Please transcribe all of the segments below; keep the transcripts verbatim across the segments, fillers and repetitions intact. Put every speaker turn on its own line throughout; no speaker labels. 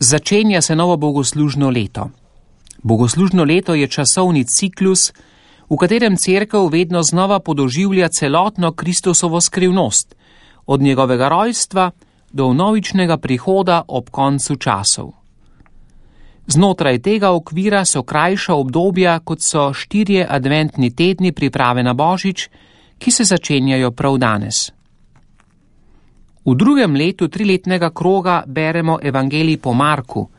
Začenja se novo bogoslužno leto. Bogoslužno leto je časovni ciklus, v katerem cerkev vedno znova podoživlja celotno Kristusovo skrivnost, od njegovega rojstva do vnovičnega prihoda ob koncu časov. Znotraj tega okvira so krajša obdobja, kot so štirje adventni tedni priprave na Božič, ki se začenjajo prav danes. V drugem letu triletnega kroga beremo evangelij po Marku.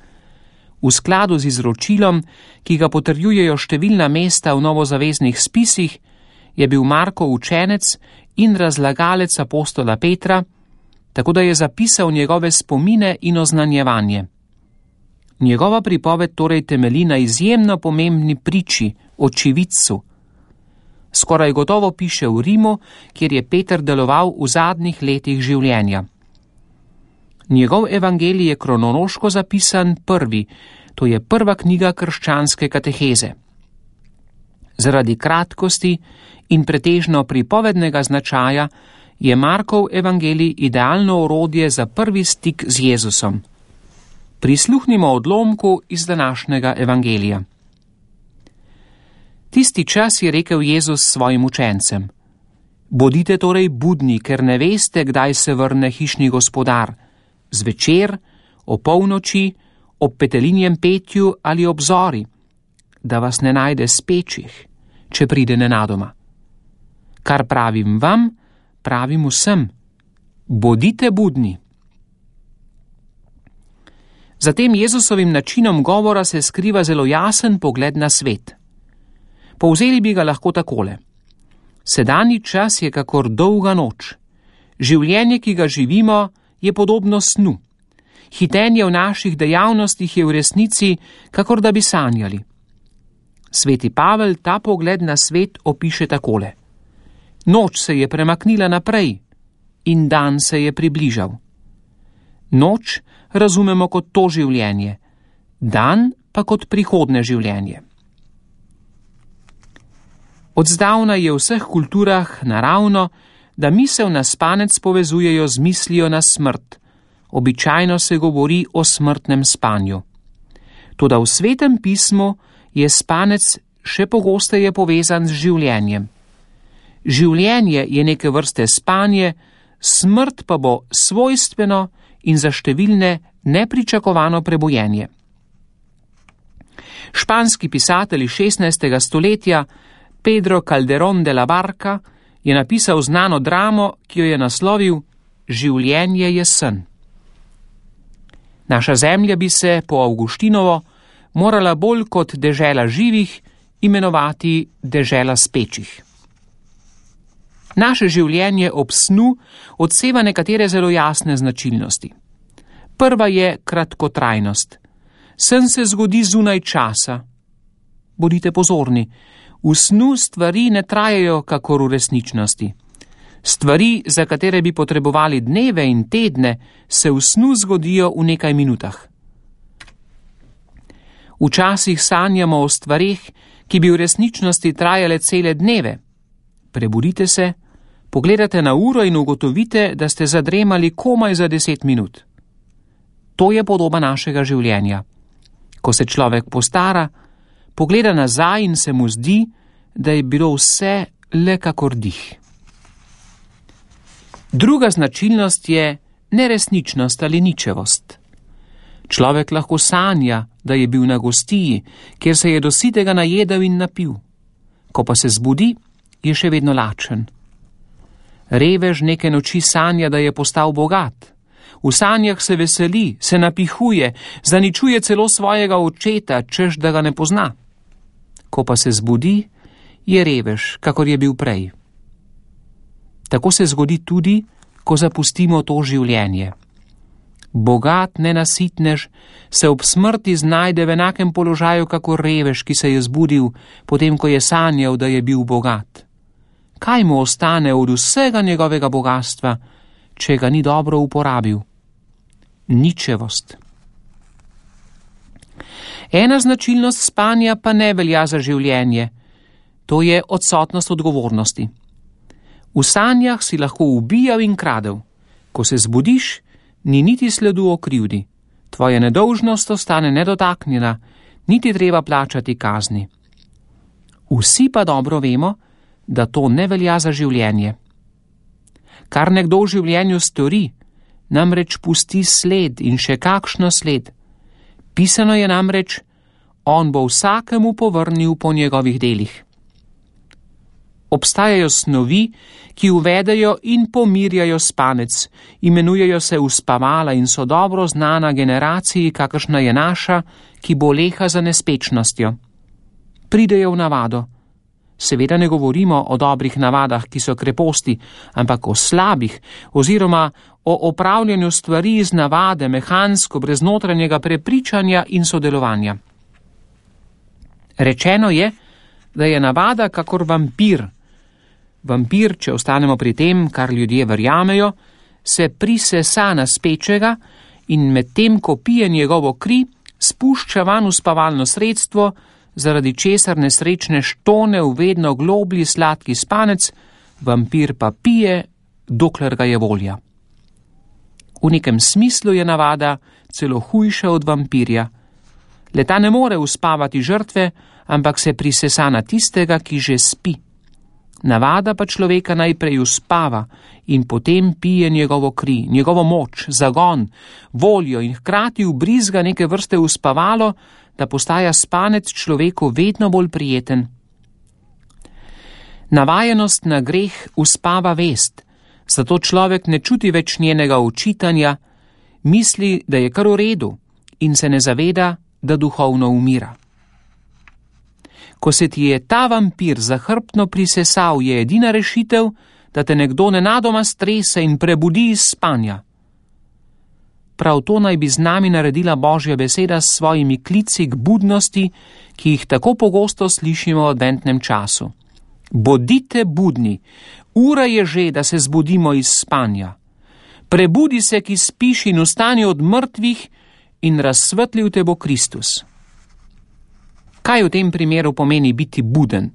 V skladu z izročilom, ki ga potrjujejo številna mesta v novozaveznih spisih, je bil Markov učenec in razlagalec apostola Petra, tako da je zapisal njegove spomine in oznanjevanje. Njegova pripoved torej temelji na izjemno pomembni priči, očividcu. Skoraj gotovo piše v Rimu, kjer je Peter deloval v zadnjih letih življenja. Njegov evangelij je kronološko zapisan prvi, to je prva knjiga krščanske kateheze. Zaradi kratkosti in pretežno pripovednega značaja je Markov evangelij idealno orodje za prvi stik z Jezusom. Prisluhnimo odlomku iz današnjega evangelija. Tisti čas je rekel Jezus svojim učencem: Bodite torej budni, ker ne veste, kdaj se vrne hišni gospodar, zvečer, o polnoči, ob petelinjem petju ali ob zori, da vas ne najde spečih, če pride nenadoma. Kar pravim vam, pravim vsem: bodite budni. Za tem Jezusovim načinom govora se skriva zelo jasen pogled na svet. Povzeli bi ga lahko takole: sedanji čas je kakor dolga noč. Življenje, ki ga živimo, je podobno snu. Hitenje v naših dejavnostih je v resnici, kakor da bi sanjali. Sveti Pavel ta pogled na svet opiše takole: noč se je premaknila naprej in dan se je približal. Noč razumemo kot to življenje, dan pa kot prihodne življenje. Od zdavnaj je v vseh kulturah naravno, da misel na spanec povezujejo z mislijo na smrt. Običajno se govori o smrtnem spanju. Toda v Svetem pismu je spanec še pogosteje povezan z življenjem. Življenje je neke vrste spanje, smrt pa bo svojstveno in za številne nepričakovano prebojenje. Španski pisatelj šestnajstega stoletja Pedro Calderón de la Barca je napisal znano dramo, ki jo je naslovil Življenje je sen. Naša zemlja bi se po Avguštinovo morala bolj kot dežela živih imenovati dežela spečih. Naše življenje ob snu odseva nekatere zelo jasne značilnosti. Prva je kratkotrajnost. Sen se zgodi zunaj časa. Bodite pozorni, v snu stvari ne trajajo kakor v resničnosti. Stvari, za katere bi potrebovali dneve in tedne, se v snu zgodijo v nekaj minutah. Včasih sanjamo o stvareh, ki bi v resničnosti trajale cele dneve. Prebudite se, pogledate na uro in ugotovite, da ste zadremali komaj za deset minut. To je podoba našega življenja. Ko se človek postara, pogleda nazaj in se mu zdi, da je bilo vse le kakor dih. Druga značilnost je neresničnost ali ničevost. Človek lahko sanja, da je bil na gostiji, kjer se je do sitega najedel in napil. Ko pa se zbudi, je še vedno lačen. Revež neke noči sanja, da je postal bogat. V sanjah se veseli, se napihuje, zaničuje celo svojega očeta, češ da ga ne pozna. Ko pa se zbudi, je revež, kakor je bil prej. Tako se zgodi tudi, ko zapustimo to življenje. Bogat nenasitnež se ob smrti znajde v enakem položaju kakor revež, ki se je zbudil, potem ko je sanjal, da je bil bogat. Kaj mu ostane od vsega njegovega bogatstva, če ga ni dobro uporabil? Ničevost. Ena značilnost spanja pa ne velja za življenje. To je odsotnost odgovornosti. V sanjah si lahko ubijal in kradel. Ko se zbudiš, ni niti sledu o krivdi. Tvoja nedolžnost ostane nedotaknjena, niti treba plačati kazni. Vsi pa dobro vemo, da to ne velja za življenje. Kar nekdo v življenju stori, namreč pusti sled in še kakšno sled. Pisano je namreč, on bo vsakemu povrnil po njegovih delih. Obstajajo snovi, ki uvedejo in pomirjajo spanec, imenujejo se uspavala in so dobro znana generaciji, kakršna je naša, ki boleha za nespečnostjo. Pridejo v navado. Seveda ne govorimo o dobrih navadah, ki so kreposti, ampak o slabih oziroma o opravljanju stvari iz navade, mehansko, brez notranjega prepričanja in sodelovanja. Rečeno je, da je navada kakor vampir. Vampir, če ostanemo pri tem, kar ljudje verjamejo, se prisesa na spečega in medtem, ko pije njegovo kri, spušča van uspavalno sredstvo, zaradi česar nesrečne štone v vedno globlji sladki spanec, vampir pa pije, dokler ga je volja. V nekem smislu je navada celo hujša od vampirja. Leta ne more uspavati žrtve, ampak se prisesa na tistega, ki že spi. Navada pa človeka najprej uspava in potem pije njegovo kri, njegovo moč, zagon, voljo in hkrati ubrizga neke vrste uspavalo, da postaja spanec človeku vedno bolj prijeten. Navajenost na greh uspava vest, zato človek ne čuti več njenega očitanja, misli, da je kar v redu in se ne zaveda, da duhovno umira. Ko se ti je ta vampir zahrbtno prisesal, je edina rešitev, da te nekdo nenadoma strese in prebudi iz spanja. Prav to naj bi z nami naredila Božja beseda s svojimi klici k budnosti, ki jih tako pogosto slišimo v adventnem času. Bodite budni, ura je že, da se zbudimo iz spanja. Prebudi se, ki spiš, in vstani od mrtvih in razsvetlil te bo Kristus. Kaj v tem primeru pomeni biti buden?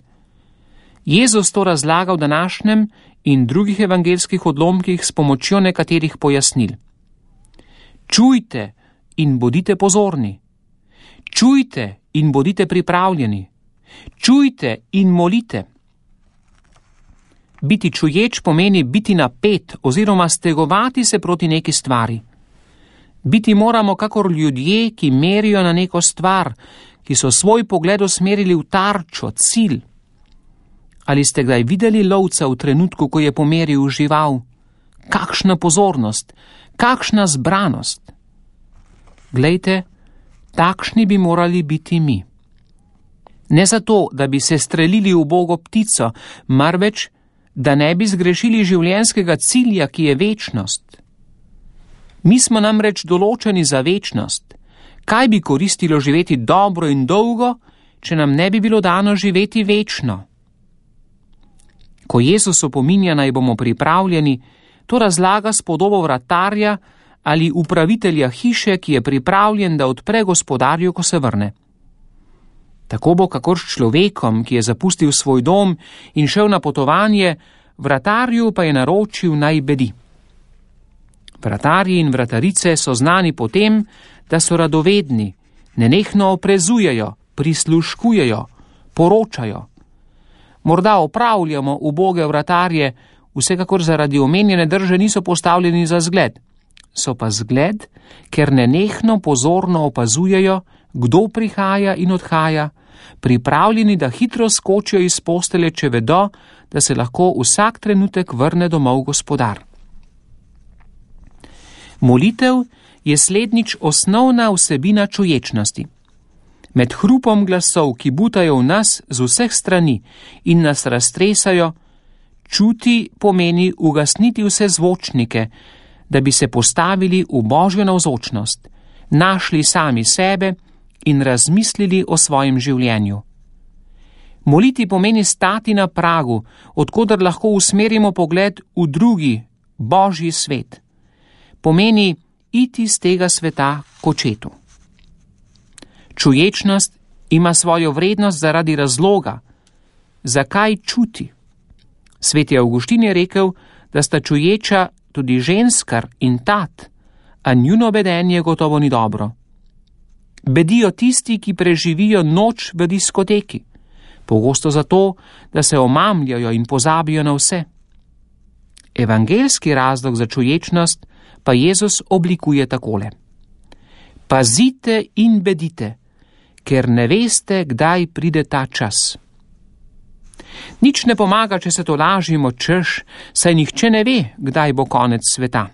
Jezus to razlaga v današnjem in drugih evangelskih odlomkih s pomočjo nekaterih pojasnil. Čujte in bodite pozorni. Čujte in bodite pripravljeni. Čujte in molite. Biti čuječ pomeni biti napet oziroma stegovati se proti neki stvari. Biti moramo kakor ljudje, ki merijo na neko stvar, ki so svoj pogled usmerili v tarčo, cilj. Ali ste kdaj videli lovca v trenutku, ko je pomeril žival? Kakšna pozornost, kakšna zbranost. Glejte, takšni bi morali biti mi. Ne zato, da bi se strelili v ubogo ptico, marveč, da ne bi zgrešili življenjskega cilja, ki je večnost. Mi smo namreč določeni za večnost. Kaj bi koristilo živeti dobro in dolgo, če nam ne bi bilo dano živeti večno? Ko Jezus opominja, naj bomo pripravljeni, to razlaga s podobo vratarja ali upravitelja hiše, ki je pripravljen, da odpre gospodarju, ko se vrne. Tako bo kakor s človekom, ki je zapustil svoj dom in šel na potovanje, vratarju pa je naročil, naj bedi. Vratarji in vratarice so znani po tem, da so radovedni, nenehno oprezujejo, prisluškujejo, poročajo. Morda opravljamo uboge vratarje, vsekakor zaradi omenjene drže niso postavljeni za zgled. So pa zgled, ker nenehno pozorno opazujejo, kdo prihaja in odhaja, pripravljeni, da hitro skočijo iz postelje, če vedo, da se lahko vsak trenutek vrne domov gospodar. Molitev je slednjič osnovna vsebina čuječnosti. Med hrupom glasov, ki butajo v nas z vseh strani in nas raztresajo, čuti pomeni ugasniti vse zvočnike, da bi se postavili v Božjo navzočnost, našli sami sebe in razmislili o svojem življenju. Moliti pomeni stati na pragu, odkoder lahko usmerimo pogled v drugi, Božji svet. Pomeni iti z tega sveta k očetu. Čuječnost ima svojo vrednost zaradi razloga, zakaj čuti. Sveti Avguštin je rekel, da sta čuječa tudi ženskar in tat, a njuno vedenje gotovo ni dobro. Bedijo tisti, ki preživijo noč v diskoteki, pogosto zato, da se omamljajo in pozabijo na vse. Evangeljski razlog za čuječnost pa Jezus oblikuje takole: pazite in bedite, ker ne veste, kdaj pride ta čas. Nič ne pomaga, če se to lažimo, češ, saj nihče ne ve, kdaj bo konec sveta.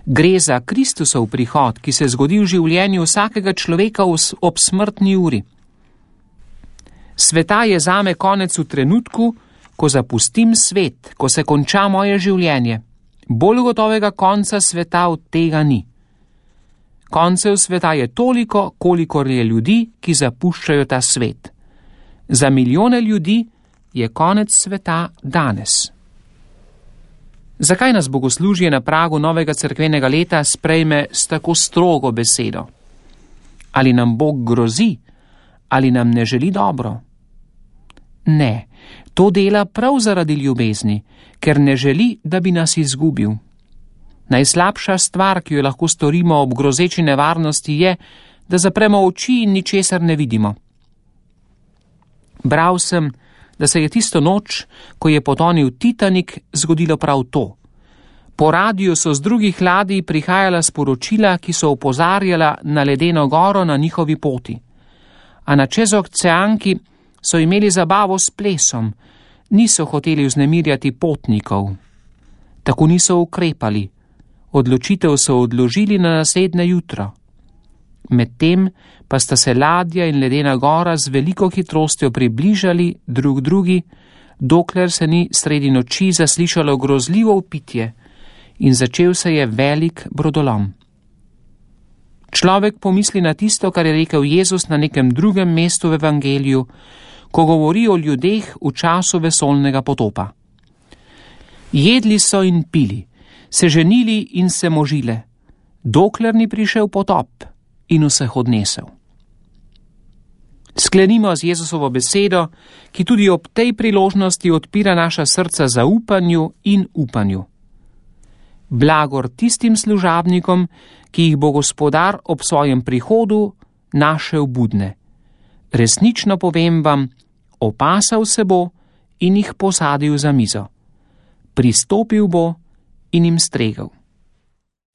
Gre za Kristusov prihod, ki se zgodi v življenju vsakega človeka ob smrtni uri. Sveta je zame konec v trenutku, ko zapustim svet, ko se konča moje življenje. Bolj gotovega konca sveta od tega ni. Koncev sveta je toliko, kolikor je ljudi, ki zapuščajo ta svet. Za milijone ljudi je konec sveta danes. Zakaj nas bogoslužje na pragu novega cerkvenega leta sprejme s tako strogo besedo? Ali nam Bog grozi? Ali nam ne želi dobro? Ne, to dela prav zaradi ljubezni, ker ne želi, da bi nas izgubil. Najslabša stvar, ki jo lahko storimo ob grozeči nevarnosti, je, da zapremo oči in ničesar ne vidimo. Bral sem, da se je tisto noč, ko je potonil Titanik, zgodilo prav to. Po radiju so z drugih ladij prihajala sporočila, ki so opozarjala na ledeno goro na njihovi poti. A na čezoceanki so imeli zabavo s plesom, niso hoteli vznemirjati potnikov. Tako niso ukrepali. Odločitev so odložili na naslednje jutro. Medtem pa sta se ladja in ledena gora z veliko hitrostjo približali drug drugi, dokler se ni sredi noči zaslišalo grozljivo vpitje in začel se je velik brodolom. Človek pomisli na tisto, kar je rekel Jezus na nekem drugem mestu v evangeliju, ko govori o ljudeh v času vesoljnega potopa. Jedli so in pili, se ženili in se možile, dokler ni prišel potop in vseh odnesel. Sklenimo z Jezusovo besedo, ki tudi ob tej priložnosti odpira naša srca zaupanju in upanju. Blagor tistim služabnikom, ki jih bo Gospodar ob svojem prihodu našel budne. Resnično povem vam, opasal se bo in jih posadil za mizo. Pristopil bo in jim stregel.